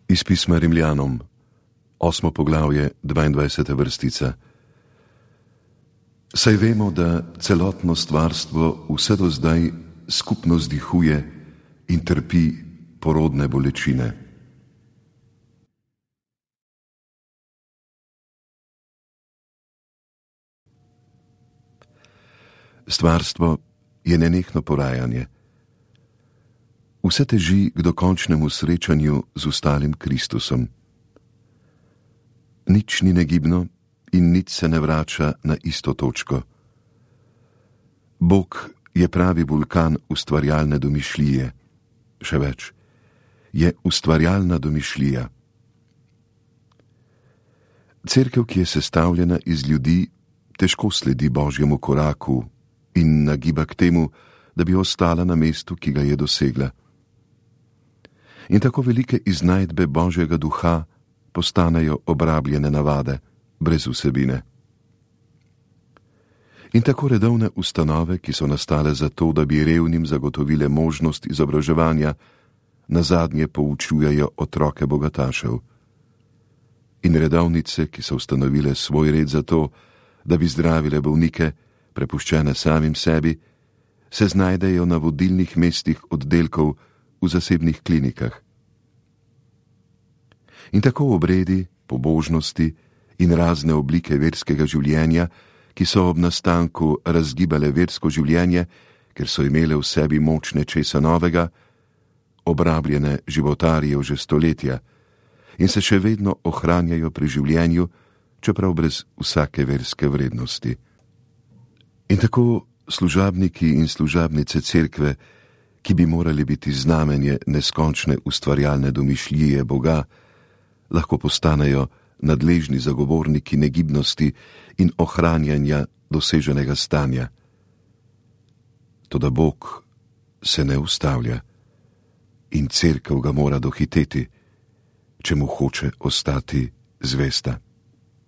Iz pisma Rimljanom, 8. poglavje, 22. vrstica. Saj vemo, da celotno stvarstvo vse do zdaj skupno zdihuje in trpi porodne bolečine. Stvarstvo je nenehno porajanje. Vse teži k dokončnemu srečanju z ustalim Kristusom. Nič ni negibno in nič se ne vrača na isto točko. Bog je pravi vulkan ustvarjalne domišljije. Še več, je ustvarjalna domišljija. Cerkev, ki je sestavljena iz ljudi, težko sledi Božjemu koraku in nagiba k temu, da bi ostala na mestu, ki ga je dosegla. In tako velike iznajdbe Božjega duha postanejo obrabljene navade, brez vsebine. In tako redovne ustanove, ki so nastale zato, da bi revnim zagotovile možnost izobraževanja, nazadnje poučujejo otroke bogatašev. In redovnice, ki so ustanovile svoj red zato, da bi zdravile bolnike, prepuščene samim sebi, se znajdejo na vodilnih mestih oddelkov v zasebnih klinikah. In tako obredi, pobožnosti in razne oblike verskega življenja, ki so ob nastanku razgibale versko življenje, ker so imele v sebi moč nečesa novega, obrabljene životarijo že stoletja in se še vedno ohranjajo pri življenju, čeprav brez vsake verske vrednosti. In tako služabniki in služabnice cerkve, ki bi morali biti znamenje neskončne ustvarjalne domišljije Boga, lahko postanejo nadležni zagovorniki negibnosti in ohranjanja doseženega stanja. Toda Bog se ne ustavlja in cerkev ga mora dohiteti, če mu hoče ostati zvesta.